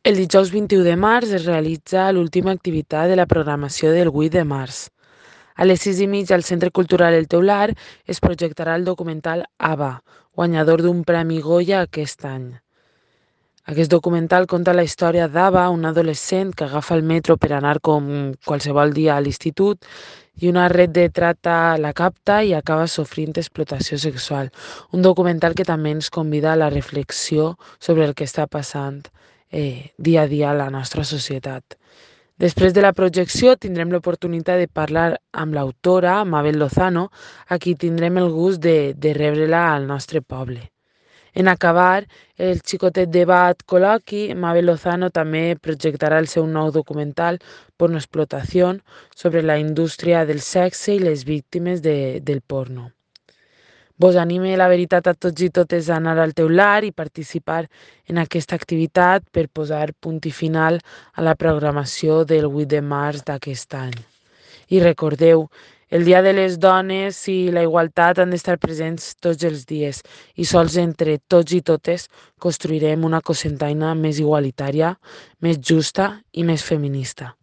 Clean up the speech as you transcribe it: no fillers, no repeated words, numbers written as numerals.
El dijous 21 de març es realitza l'última activitat de la programació del 8 de març. A les 6:30 al Centre Cultural El Teular es projectarà el documental Ava, guanyador d'un Premi Goya aquest any. Aquest documental conta la història d'Ava, una adolescent que agafa el metro per anar com qualsevol dia a l'institut i una red de trata la capta i acaba sofrint explotació sexual. Un documental que també ens convida a la reflexió sobre el que està passant dia a dia a la nostra societat. Després de la projecció tindrem l'oportunitat de parlar amb l'autora, Mabel Lozano, a qui tindrem el gust de rebre-la al nostre poble. En acabar el xicotet debat col·loqui, Mabel Lozano també projectarà el seu nou documental Pornoexplotació sobre la indústria del sexe i les víctimes del porno. Vos anime la veritat a tots i totes a anar al teular i participar en aquesta activitat per posar punt i final a la programació del 8 de març d'aquest any. I recordeu, el Dia de les Dones i la igualtat han d'estar presents tots els dies i sols entre tots i totes construirem una Cocentaina més igualitària, més justa i més feminista.